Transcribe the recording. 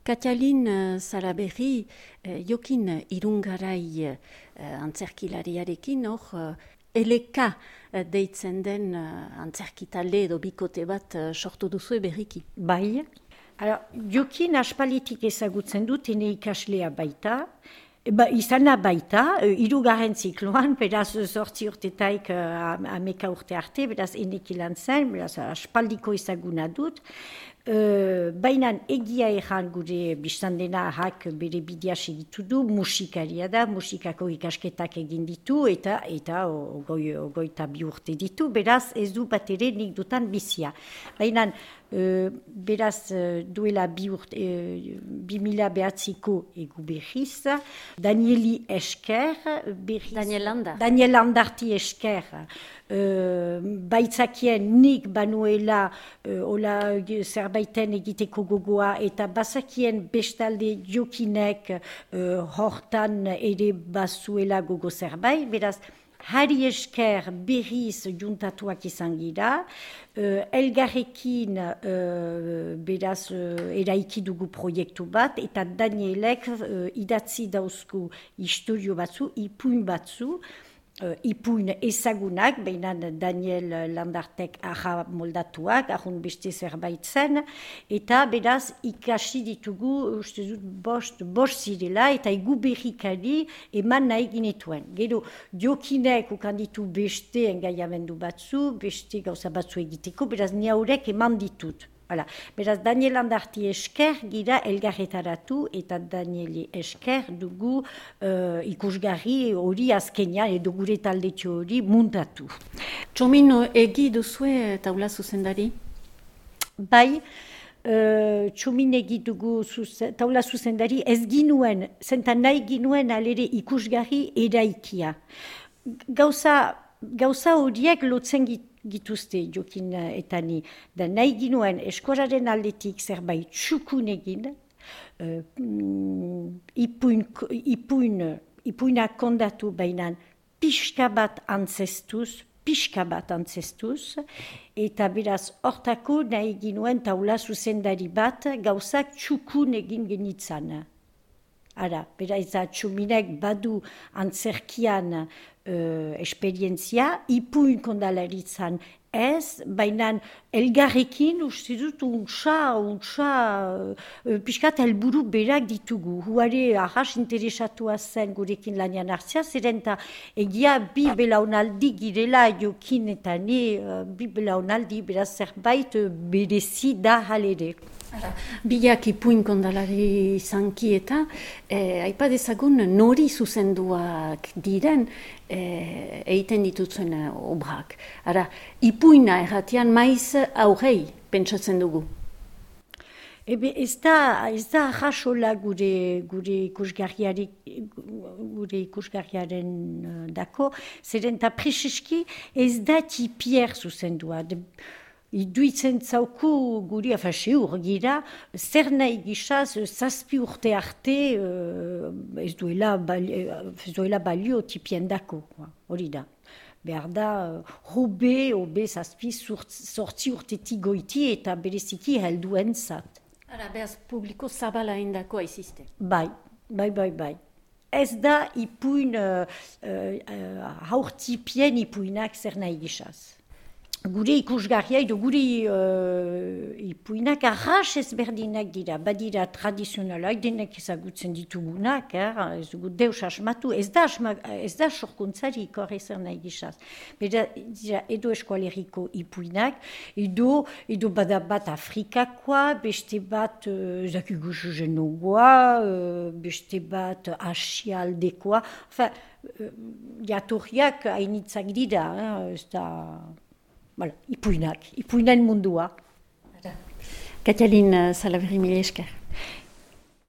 Katalin Salaberri, jokin irungarai antzerkilariarekin, eleka deitzen den antzerkitalde edo bikote bat sortu duzu berriki. Bai. Jokin aspalitik ezagutzen dut, ene ikaslea baita. Izana baita, hirugarren zikloan, beraz 8 urtetaik 11 urte arte, beraz enek ilan zen, beraz aspaldiko ezaguna dut. Baina egia erran gure biztandena ahak bere bidea segitu du, musikaria da, musikako ikasketak egin ditu eta ogoita 2 urte ditu, beraz ez du bat ere nik dutan bizia. Baina beraz duela 2009ko egu berriz, Danieli esker, Daniel Landarti esker, baitzakien nik banuela zerbaiten egiteko gogoa eta bazakien bestalde jokinek hortan ere bazuela gogo zerbait, beraz hari esker berriz juntatuak izan gira, elgarrekin beraz eraiki dugu proiektu bat, eta Danielek idatzi dauzku historio batzu, ipuin batzu, ipuin ezagunak, baina Daniel Landartek aha moldatuak, ahun beste zerbait zen, eta beraz ikasi ditugu, uste dut bost zirela, eta egu berrikari eman nahi ginetuen. Gero, jokinek ukanditu beste engaiamendu batzu, beste gauza batzu egiteko, beraz ni haurek eman ditut. Hala. Beraz, Daniel Landarti esker gira elgarretaratu eta Danieli esker dugu ikusgarri hori azkenean edo gure taldetxo hori muntatu. Txomin egi duzue taula zuzendari? Bai, txomin egi dugu taula zuzendari ez ginuen, zentan nahi ginuen alere ikusgarri eraikia. Gauza horiek lotzen gituzte jokin eta ni. Da nahi ginuen eskoraren aldetik zerbait txukun egin, ipuinak kondatu bainan pixka bat antzestuz, eta beraz hortako nahi ginuen taula zuzendari bat gauzak txukun egin genitzan. Ara, beraz txuminek badu antzerkian esperientzia, ipuin kondalaritzan ez, baina elgarrekin uste dut pixkat helburu berak ditugu. Huare arras interesatua zen gurekin lanian hartzea, zeren eta egia bi belaunaldi girela jokin eta bi belaunaldi beraz zerbait berezi da halere. Biak ipuin kondalari zanki eta aipa dezagun nori zuzenduak diren egiten dituzuen obrak. Ara, ipuina erratian maiz aurrei pentsatzen dugu. Ez da jasola gure ikusgarriaren dako, zeren eta preseski ez da tipier zuzendua. Iduitzen zauku guri, seur gira, zer nahi gisaz, 7 urte arte ez duela balio tipien dako, hori da. Behar da, hobe 7 urtetik goiti eta bereziki helduen zat. Ara, behaz publiko zabala indako aiziste? Bai. Ez da ipuin, haurtipien ipuinak zer nahi gisaz. Gure ikusgarria edo gure ipuinak arras ezberdinak dira, badira tradizionalak, denek ezagutzen ditugunak, ez dugu deus asmatu, ez da sorkuntzari ikor ezer nahi gisaz. Beda, edo eskualeriko ipuinak, edo bada bat Afrikakoa, beste bat zakigusu jenogoa, beste bat asialdekoa, jatorriak hainitzak dira, ez da... Voilà, ipuinen mundua. Katalin Salaberri, mila esker.